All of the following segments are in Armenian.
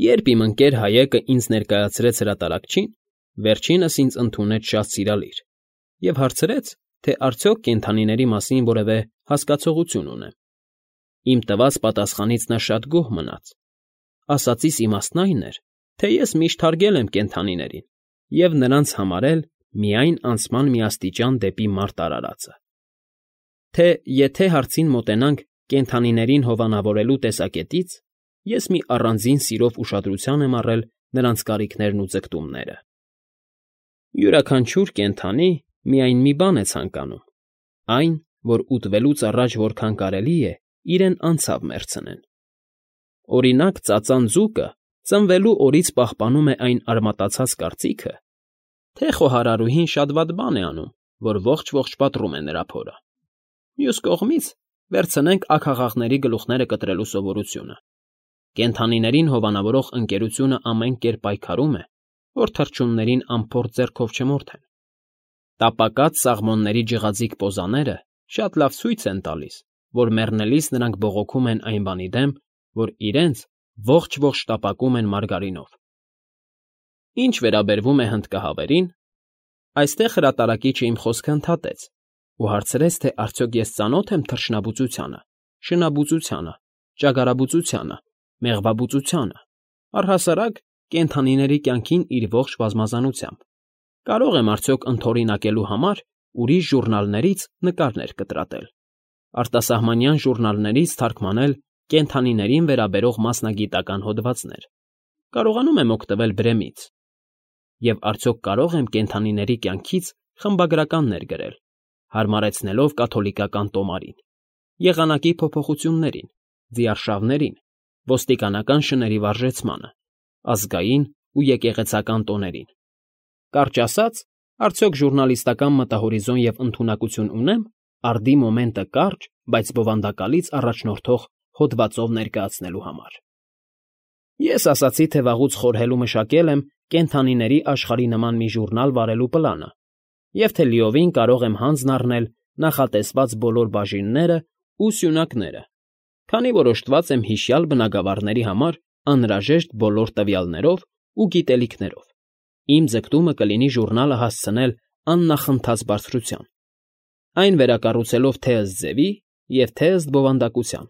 Երբ իմ ընկեր Հայեկը ինձ ներկայացրեց հրատարակչին, վերջինս ինձ ընդունեց շատ սիրալիր և հարցրեց, թե արդյոք կենդանիների մասին որևէ հասկացողություն ունեմ։ Իմ տված պատասխանից նա շատ գոհ մնաց. ասածիս իմաստն այն էր, թե ես միշտ հարգել եմ կենդանիներին և նրանց համարել միայն անցման մի աստիճան դեպի մարդ արարածը, թե եթե հարցին մոտենանք կենդանիներին հովանավորելու տեսակետից, ես մի առանձին սիրով ուշադրության եմ առել նրանց կարիքներն ու ձգտումները։ Յուրաքանչյուր կենդանի միայն մի բան է ցանկանում, այն, որ ուտվելուց առաջ որքան կարելի է իրեն անցավ մեռցնեն։ Օրինակ, ծածան ձուկը ծնվելու օրից պահպանում է այն արմատացած կարծիքը, թե խոհարարուհին շատ վատ բան է անում, որ ողջ պատռում է նրա փորը։ Մյուս կողմից վերցնենք աքաղաղների գլուխները կտրելու սովորությունը։ Կենդանիներին հովանավորող ընկերությունը ամեն կերպ պայքարում է, որ թռչուններին անփորձ ձեռքով չմորթեն։ Տապակած սաղմոնների ջղաձիգ պոզաները շատ լավ ցույց են տալիս, որ մեռնելիս նրանք բողոքում են այն բանի դեմ, որ իրենց ողջ տապակում են մարգարինով։ Ինչ վերաբերվում է հնդկահավերին, այստեղ հրատարակիչը իմ խոսքը ընդհատեց ու հարցրեց, թե արդյոք ես ծանոթ եմ թռչնաբուծությանը, շնաբուծությանը, ճագարաբուծությանը, մեղվաբուծությանը, առհասարակ կենդանիների կյանքին իր ողջ բազմազանությամբ, կարող եմ արդյոք ընդօրինակելու համար ուրիշ ժուռնալներից նկարներ կտրատել, արտասահմանյան ժուռնալներից թարգմանել կենդանիներին վերաբերող մասնագիտական հոդվածներ, կարողանում եմ օգտվել Բրեմից, և արդյոք կարող եմ կենդանիների կյանքից խմբագրականներ գրել, հարմարեցնելով կաթոլիկական տոմարին, եղանակի փոփոխություններին, ձիարշավներին, ոստիկանական շների վարժեցմանը, ազգային ու եկեղեցական տոներին։ Կարճ ասած, արդյոք ժուռնալիստական մտահորիզոն և ընդունակություն ունեմ արդի մոմենտը կարճ, բայց բովանդակալից առաջնորդող հոդվածով ներկայացնելու համար։ Ես ասացի, թե վաղուց խորհել ու մշակել եմ կենդանիների աշխարհի նման մի ժուռնալ վարելու պլանը և թե լիովին կարող եմ հանձն առնել նախատեսված բոլոր բաժիններն ու սյունակները, քանի որ օժտված եմ հիշյալ բնագավառների համար անհրաժեշտ բոլոր տվյալներով ու գիտելիքներով։ Իմ ձգտումը կլինի ժուռնալը հասցնել աննախընթաց բարձրության, այն վերակառուցելով թե ըստ ձևի և թե ըստ բովանդակության,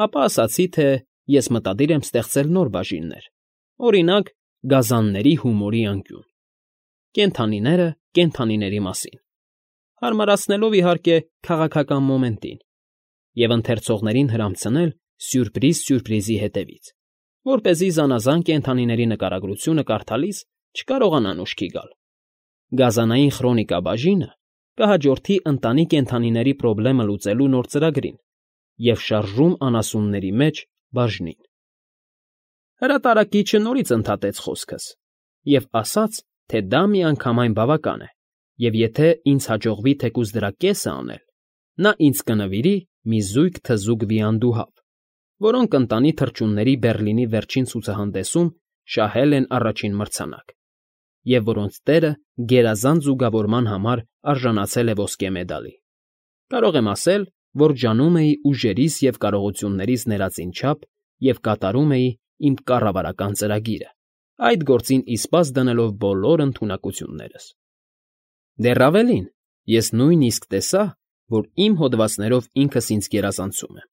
ապա ասացի, թե ես մտադիր եմ ստեղծել նոր բաժիններ, օրինակ, գազանների հումորի անկյուն, կենդանիները կենդանիների մասին, հարմարացնելով, իհարկե, քաղաքական մոմենտին և ընթերցողներին հրամցնել սյուրպրիզի հետևից, որպեսզի զանազան կենդանիների նկարագրությունը կարդալիս չկարողանան ուշքի գալ։ Գազանային խրոնիկա բաժինը կհաջորդի ընտանի կենդանիների պրոբլեմը լուծելու նոր ծրագրին և շարժում անասունների մեջ բաժնին։ Հրատարակիչը նորից ընդհատեց խոսքս և ասաց, թե դա միանգամայն բավական է, և եթե ինձ հաջողվի թեկուզ դրա կեսը անել, նա ինձ կնվիրի մի զույգ թզուկ վիանդուհավ, որոնք ընտանի թռչունների Բեռլինի վերջին ցուցահանդեսում շահել են առաջին մրցանակ, և որոնց տերը գերազանց զուգավորման համար արժանացել է ոսկե մեդալի։ Կարող եմ ասել, որ ջանում էի ուժերիս և կարողություններիս ներածին չափ և կատարում էի իմ կառավարական ծրագիրը, այդ գործին իսպաստ դնելով բոլոր ընդունակություններս։ Դեռ ավելին, ես նույնիսկ տեսա, որ իմ հոդվածներով ինքս ինձ գերազանցում եմ։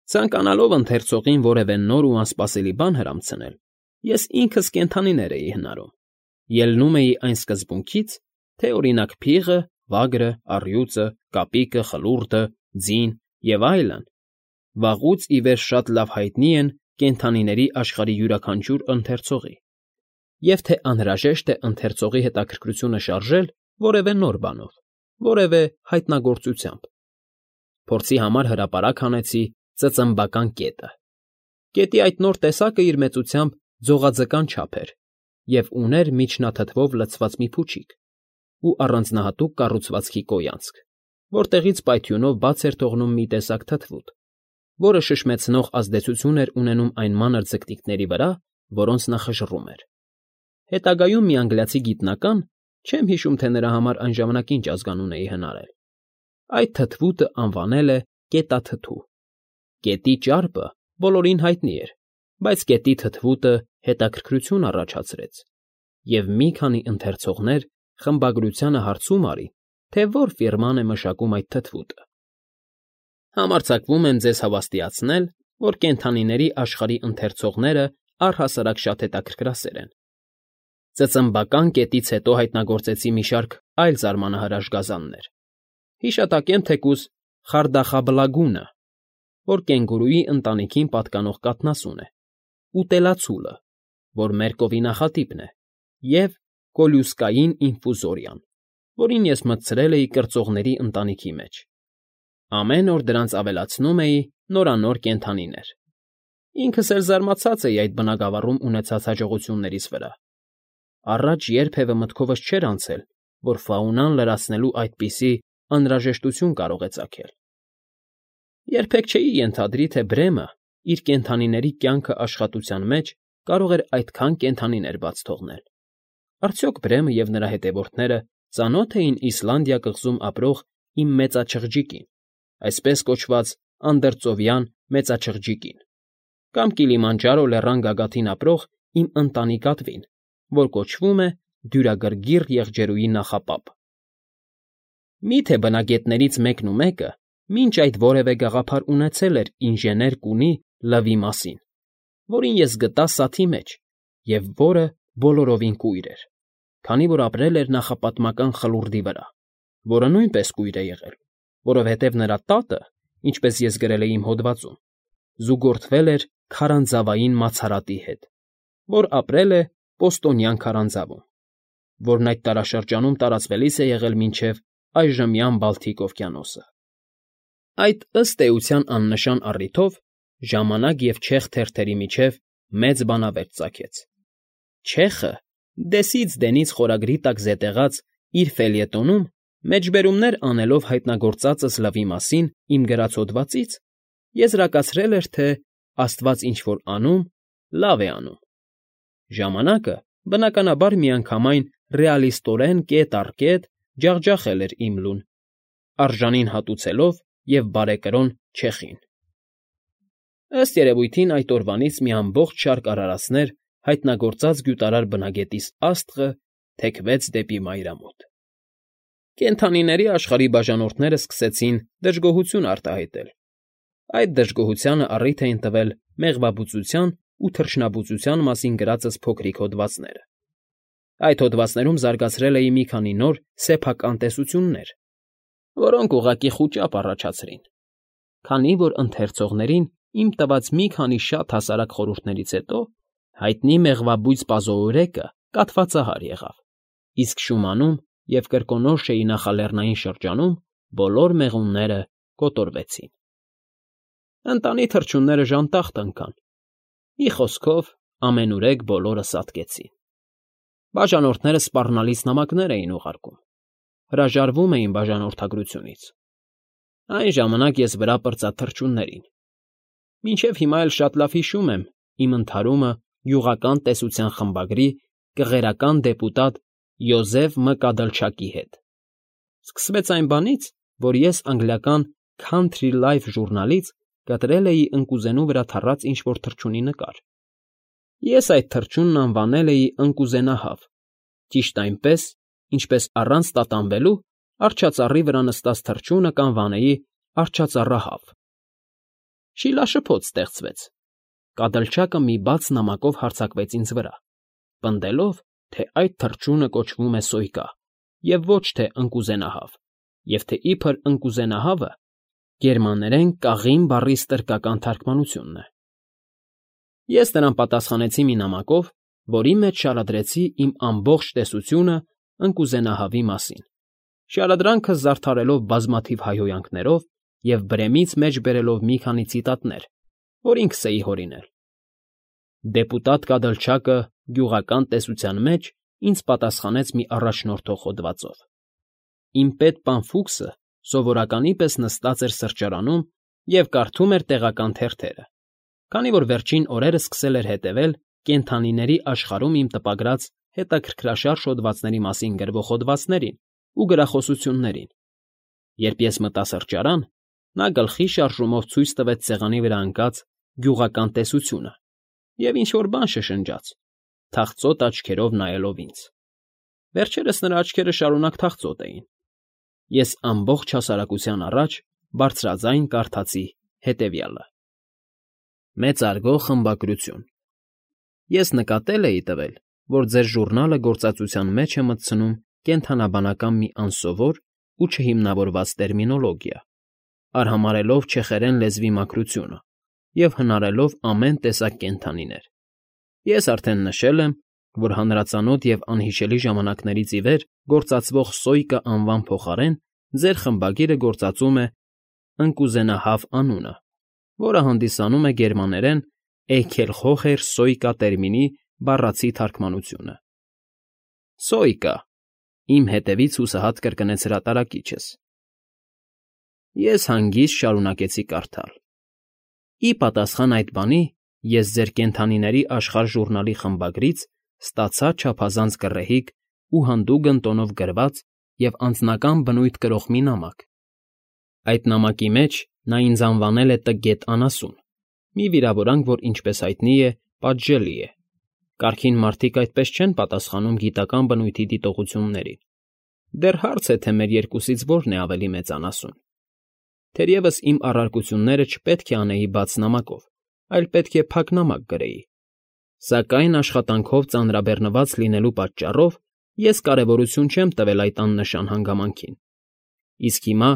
Ցանկանալով ընթերցողին որևէ նոր ու անսպասելի բան հրամցնել, ես ինքս կենդանիներ էի հնարում, ելնում էի այն սկզբունքից, թե օրինակ փիղը, վագրը, առյուծը, կապիկը, խլուրդը, ձին և այլն վաղուց ի վեր շատ լավ հայտնի են կենդանիների աշխարհի յուրաքանչյուր ընթերցողի, և թե անհրաժեշտ է ընթերցողի հետաքրքրությունը շարժել որևէ նոր բանով, որևէ հայտնագործությամբ։ Փորձի համար հրապարակ հանեցի ծծմբական կետը։ Կետի այդ նոր տեսակը իր մեծությամբ ձողաձկան չափ էր և ուներ միջնաթթվով լցված մի փուչիկ ու առանձնահատուկ կառուցվածքի կոյանցք, որտեղից պայթյունով բաց էր թողնում մի տեսակ թթվուտ, որը շշմեցնող ազդեցություն էր ունենում այն մանր ձկնիկների վրա, որոնց նա խժռում էր։ Հետագայում մի անգլիացի գիտնական, չեմ հիշում, թե նրա համար այն ժամանակ ինչ ազգանուն էի հնարել, այդ թթվուտը անվանել է կետաթթու։ Կետի ճարպը բոլորին հայտնի էր բայց գետի թթվուտը հետաքրքրություն առաջացրեց, և մի քանի ընթերցողներ խմբագրությանը հարցում արին, թե որ ֆիրման է մշակում այդ թթվուտը։ Համարձակվում եմ ձեզ հավաստիացնել, որ կենդանիների աշխարհի ընթերցողները առհասարակ շատ հետաքրքրասեր են։ Ծծմբական կետից հետո հայտնագործեցի մի շարք այլ զարմանահրաշ գազաններ. հիշատակեմ թեկուզ խարդախաբլագունը, որ կենգուրուի ընտանիքին պատկանող կաթնասուն է, ուտելացուլը, որ մերկովի նախատիպն է, և կոլյուսկային ինֆուզորիան, որին ես մտցրել էի կրծողների ընտանիքի մեջ։ Ամեն օր դրանց ավելացնում էի նորանոր կենդանիներ։ Ինքս էլ զարմացած էի այդ բնագավառում ունեցած հաջողություններիս վրա։ Առաջ երբևէ մտքովս չէր անցել, որ ֆաունան լրացնելու այդպիսի անհրաժեշտություն կարող է ծագել։ Երբեք չէի ենթադրի, թե Բրեմը իր կենդանիների կյանքը աշխատության մեջ կարող էր այդքան կենդանիներ բաց թողնել։ Արդյոք Բրեմը և նրա հետևորդները ծանո՞թ էին Իսլանդիա կղզում ապրող իմ մեծաչղջիկին, այսպես կոչված անդրծովյան մեծաչղջիկին, կամ Կիլիմանջարո լեռան գագաթին ապրող իմ ընտանիկատվին, որ կոչվում է դյուրագրգիռ եղջերուի նախապապ։ Մի՞թե բնագետներից մեկն ու մեկը մինչ այդ որևէ գաղափար ունեցել էր ինժեներ կունի լվի մասին, որին ես գտա սաթի մեջ և որը բոլորովին կույր էր, քանի որ ապրել էր նախապատմական խլուրդի վրա, որը նույնպես կույր է եղել, որովհետև նրա տատը, ինչպես ես գրել էի իմ հոդվածում, զուգորդվել էր քարանձավային մացարատի հետ, որ ապրել է Պոստոնյան քարանձավում, որն այդ տարաշրջանում տարածվելիս է եղել մինչև այժմյան Բալթիկ օվկիանոսը։ Այդ ըստ էության աննշան առիթով ժամանակ և չեխ թերթերի միջև մեծ բանավերջ ծագեց։ Չեխը դեսից դենից խորագրի տակ զետեղած իր ֆելյետոնում մեջբերումներ անելով հայտնագործածս լվի մասին իմ գրած հոդվածից եզրակացրել էր, թե աստված ինչ֊որ անում, լավ է անում։ Ժամանակը, բնականաբար, միանգամայն ռեալիստորեն կետ առ կետ ջախջախել էր իմ լուն, արժանին հատուցելով և բարեկրոն չեխին։ Ըստ երևույթին այդ օրվանից մի ամբողջ շարք արարածներ հայտնագործած գյուտարար բնագետիս աստղը թեքվեց դեպի մայրամուտ։ Կենդանիների աշխարհի բաժանորդները սկսեցին դժգոհություն արտահայտել։ Այդ դժգոհությանը առիթ էին տվել մեղվաբուծության ու թռչնաբուծության մասին գրածս փոքրիկ հոդվածները։ Այդ հոդվածներում զարգացրել էի մի քանի նոր սեփական տեսություններ, որոնք ուղղակի խուճապ առաջացրին, քանի որ ընթերցողներին իմ տված մի քանի շատ հասարակ խորհուրդներից հետո հայտնի մեղվաբույծ պազոուրեկը կաթվածահար եղավ, իսկ Շումանում և Կրկոնորշեի նախալեռնային շրջանում բոլոր մեղունները կոտորվեցին։ Ընտանի թռչունները ժանտախտ ընկան, մի խոսքով ամենուրեք բոլորը սատկեցին։ Բաժանորդները սպառնալից նամակներ էին ուղարկում, հրաժարվում էին բաժանորդագրությունից։ Այն ժամանակ ես վրա պրծա թռչուններին։ Մինչև հիմա էլ շատ լավ հիշում եմ իմ ընդհարումը գյուղական տեսության խմբագրի կղերական դեպուտատ Յոզեֆ Մ. Կադլչակի հետ։ Սկսվեց այն բանից, որ ես անգլիական Country Life ժուրնալից կտրել էի ընկուզենու վրա թռած ինչ֊որ թռչունի նկար։ Ես այդ թռչունն անվանել էի ընկուզենահավ, ճիշտ այնպես, ինչպես առանց տատանվելու արջածառի վրա նստած թռչունը կանվանեի արջածառահավ։ Շիլաշփոթ ստեղծվեց։ Կադլչակը մի բաց նամակով հարձակվեց ինձ վրա, պնդելով, թե այդ թռչունը կոչվում է Սոյկա և ոչ թե ընկուզենահավ, և թե իբր ընկուզենահավը գերմաներեն կաղին բառի ստրկական թարգմանությունն է։ Ես նրան պատասխանեցի մի նամակով, որի մեջ շարադրեցի իմ ամբողջ տեսությունը ընկուզենահավի մասին, շարադրանքը զարդարելով բազմաթիվ հայհոյանքներով և Բրեմից մեջ բերելով մի քանի ցիտատներ, որ ինքս էի հորինել։ Դեպուտատ Կադլչակը գյուղական տեսության մեջ ինձ պատասխանեց մի առաջնորդող հոդվածով։ Իմ պետ պան Ֆուքսը սովորականի պես նստած էր սրճարանում և կարդում էր տեղական թերթերը, քանի որ վերջին օրերս սկսել էր հետևել կենդանիների աշխարհում իմ տպագրած հետաքրքրաշարժ հոդվածների մասին գրվող հոդվածներին ու գրախոսություններին։ Երբ ես մտա սրճարան, նա գլխի շարժումով ցույց տվեց սեղանի վրա ընկած գյուղական տեսությունը և ինչ֊որ բան շշնջաց, թախծոտ աչքերով նայելով ինձ. վերջերս նրա աչքերը շարունակ թախծոտ էին։ Ես ամբողջ հասարակության առաջ բարձրաձայն կարդացի հետևյալը. Մեծարգո խմբագրություն։ Ես նկատել էի տվել, որ ձեր ժուռնալը գործածության մեջ է մտցնում կենդանաբանական մի անսովոր ու չհիմնավորված տերմինոլոգիա, արհամարհելով չեխերեն լեզվի մաքրությունը և հնարելով ամեն տեսակ կենդանիներ։ Ես արդեն նշել եմ, որ հանրածանոթ և անհիշելի ժամանակներից ի վեր գործածվող Սոյկա անվան փոխարեն ձեր խմբագիրը գործածում է ընկուզենահավ անունը, որը հանդիսանում է գերմաներեն Էյքելխոհեր Սոյկա տերմինի բառացի թարգմանությունը։ Սոյկա, իմ հետևից հուսահատ կրկնեց հրատարակիչս։ Ես հանգիստ շարունակեցի կարդալ. Ի պատասխան այդ բանի ես ձեր կենդանիների աշխարհ ժուռնալի խմբագրից ստացա չափազանց գռեհիկ ու հանդուգն տոնով գրված և անձնական բնույթ կրող մի նամակ։ Այդ նամակի մեջ նա ինձ անվանել է Տգետ անասուն, մի վիրավորանք, որ, ինչպես հայտնի է, պատժելի է։ Կարգին մարդիկ այդպես չեն պատասխանում գիտական բնույթի դիտողություններին։ Դեռ հարց է, թե մեր երկուսից որն է ավելի մեծ անասուն։ Թերևս իմ առարկությունները չպետք է անեի բաց նամակով, այլ պետք է փակ նամակ գրեի։ Սակայն աշխատանքով ծանրաբեռնված լինելու պատճառով ես կարևորություն չեմ տվել այդ աննշան հանգամանքին։ Իսկ հիմա,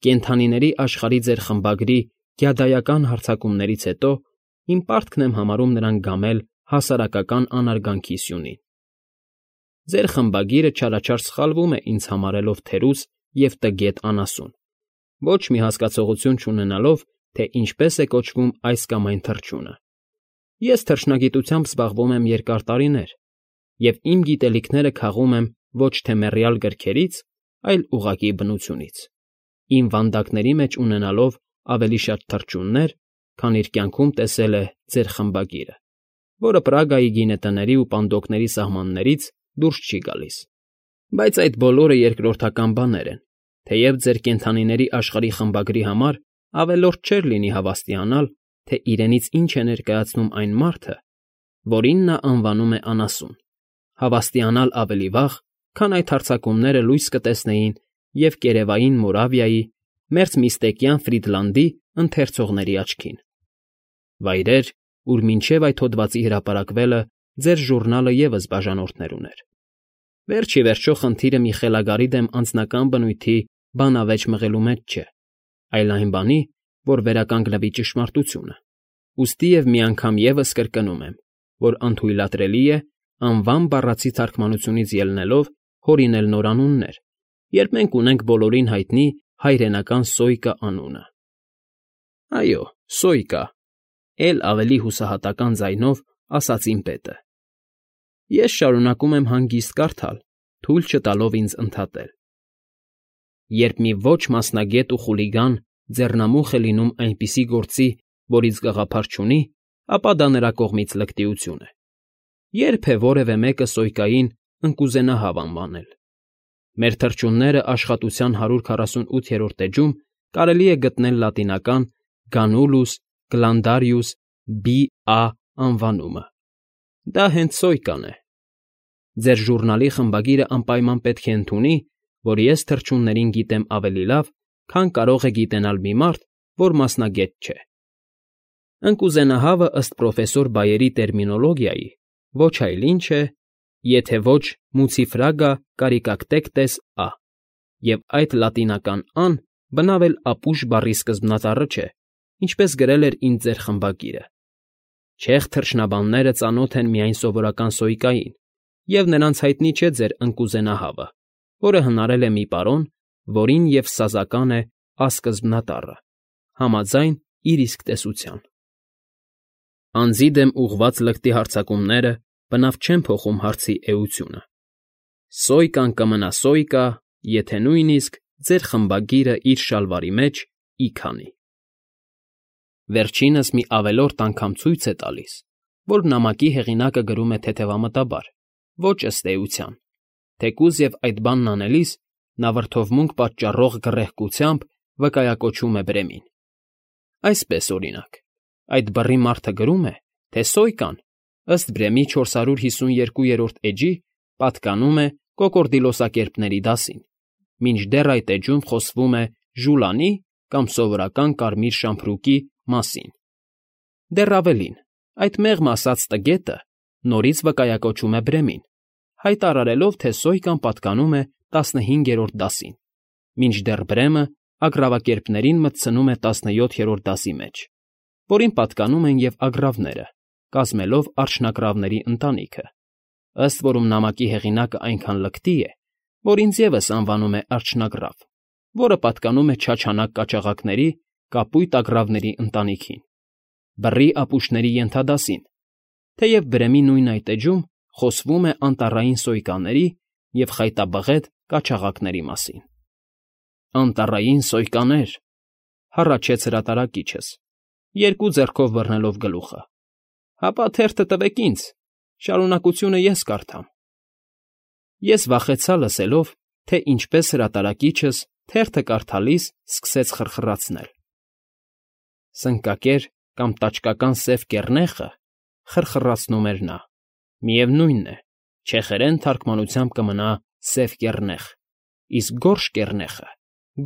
կենդանիների աշխարհի ձեր խմբագրի գյադայական հարձակումներից հետո, իմ պարտքն եմ համարում նրան գամել հասարակական անարգանքի սյունին։ Ձեր խմբագիրը չարաչար սխալվում է ինձ համարելով թերուս և տգետ անասուն, ոչ մի հասկացողություն չունենալով, թե ինչպես է կոչվում այս կամ այն թռչունը։ Ես թռչնագիտությամբ զբաղվում եմ երկար տարիներ, և իմ գիտելիքները քաղում եմ ոչ թե մեռյալ գրքերից, այլ ուղղակի բնությունից, իմ վանդակների մեջ ունենալով ավելի շատ թռչուններ, քան իր կյանքում տեսել է ձեր խմբագիրը, որը Պրագայի գինետների ու պանդոկների սահմաններից դուրս չի գալիս։ Բայց այդ բոլորը երկրորդական բաներ են, թեև ձեր կենդանիների աշխարհի խմբագրի համար ավելորդ չէր լինի հավաստիանալ, թե իրենից ինչ է ներկայացնում այն մարդը, որին նա անվանում է անասուն, հավաստիանալ ավելի վաղ, քան այդ հարձակումները լույս կտեսնեին և կերևային Մորավիայի, Մերձմիստեկյան Ֆրիդլանդի ընթերցողների աչքին։ Վայրեր, ուր մինչև այդ հոդվածի հրապարակվելը ձեր ժուռնալը ևս բաժանորդներ ուներ։ Վերջ ի վերջո խնդիրը մի խելագարի դեմ անձնական բնույթի բանավեճ մղելու մեջ չէ, այլ այն բանի, որ վերականգնվի ճշմարտությունը։ Ուստի և մի անգամ ևս կրկնում եմ, որ անթույլատրելի է, անվան բառացի թարգմանությունից ելնելով, հորինել նորանուններ, երբ մենք ունենք բոլորին հայտնի հայրենական Սոյկա անունը։ Այո, Սոյկա, էլ ավելի հուսահատական ձայնով ասաց իմ պետը։ Ես շարունակում եմ հանգիստ կարդալ, թույլ չտալով ինձ ընդհատել։ Երբ մի ոչ մասնագետ ու խուլիգան ձեռնամուխ է լինում այնպիսի գործի, որից գաղափար չունի, ապա դա նրա կողմից լկտիություն է։ Երբ է որևէ մեկը Սոյկային ընկուզենահավ անվանել։ Մեր թռչունները աշխատության 148-րդ էջում կարելի է գտնել լատինական Ganulus glandarius B.A. անվանումը։ Դա հենց Սոյկան է։ Ձեր ժուռնալի խմբագիրը անպայման պետք է ընդունի, որ ես թռչուններին գիտեմ ավելի լավ, քան կարող է գիտենալ մի մարդ, որ մասնագետ չէ։ Ընկուզենահավը ըստ պրոֆեսոր Բայերի տերմինոլոգիայի ոչ այլ ինչ է, եթե ոչ Mucifraga caricactectes A, և այդ լատինական «ան» բնավ էլ ապուշ բառի սկզբնածառը չէ, ինչպես գրել էր ինձ ձեր խմբագիրը։ Չեխ թռչնաբանները ծանոթ են միայն սովորական Սոյկային, և նրանց հայտնի չէ ձեր ընկուզենահավը, որը հնարել է մի պարոն, որին և սազական է ասկզբնատառը, համաձայն իր իսկ տեսության։ Անձի դեմ ուղղված լկտի հարձակումները բնավ չեն փոխում հարցի էությունը։ Սոյկան կմնա Սոյկա, եթե նույնիսկ ձեր խմբագիրը իր շալվարի մեջ ի քանի։ Վերջինս մի ավելորդ անգամ ցույց է տալիս, որ նամակի հեղինակը գրում է թեթևամտաբար, ոչ ըստ էության, թեկուզ և այդ բանն անելիս նա վրդովմունք պատճառող գռեհկությամբ վկայակոչում է Բրեմին։ Այսպես, օրինակ, այդ բռի մարդը գրում է, թե Սոյկան, ըստ Բրեմի 452-րդ էջի, պատկանում է կոկորդիլոսակերպների դասին, մինչդեռ այդ էջում խոսվում է ժուլանի կամ սովորական կարմիր շամփրուկի մասին։ Դեռ ավելին, այդ մեղմ ասած տգետը նորից վկայակոչում է Բրեմին, հայտարարելով, թե Սոյկան պատկանում է 15-րդ դասին, մինչդեռ Բրեմը ագռավակերպներին մտցնում է 17-րդ դասի մեջ, որին պատկանում են և ագռավները, կազմելով արջնագռավների ընտանիքը, ըստ որում նամակի հեղինակը այնքան լկտի է, որ ինձ ևս անվանում է արջնագռավ, որը պատկանում է չաչանակ կաճաղակների, կապույտ ագռավների ընտանիքին, բռի ապուշների ենթադասին, թեև Բրեմի նույն այդ էջում խոսվում է անտառային սոյկաների և խայտաբղետ կաչաղակների մասին։ Անտառային սոյկաներ, հառաչեց հրատարակիչս, երկու ձեռքով բռնելով գլուխը, հապա թերթը տվեք ինձ, շարունակությունը ես կարդամ։ Ես վախեցա լսելով, թե ինչպես հրատարակիչս թերթը կարդալիս սկսեց խրխրացնել։ Սնկակեր կամ տաճկական սև կեռնեխը խրխրացնում էր նա, միևնույն է, չեխերեն թարգմանությամբ կմնա սև կեռնեխ, իսկ գորշ կեռնեխը՝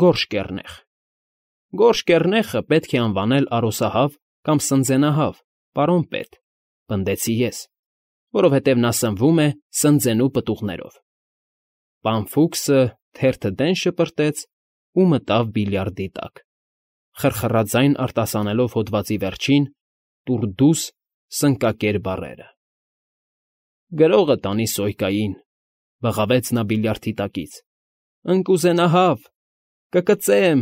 գորշ կեռնեխ։ Գորշ կեռնեխը պետք է անվանել արոսահավ կամ սնձենահավ, պարոն պետ, պնդեցի ես, որովհետև նա սնվում է սնձենու պտուղներով։ Պան Ֆուքսը թերթը դեն շպրտեց ու մտավ բիլիարդի տակ, խրխրաձայն արտասանելով հոդվածի վերջին «տուռդուս» սնկակեր բառերը։ «Գրողը տանի Սոյկային», բղավեց նա բիլիարդի տակից, «ընկուզենահավ, կկծեմ,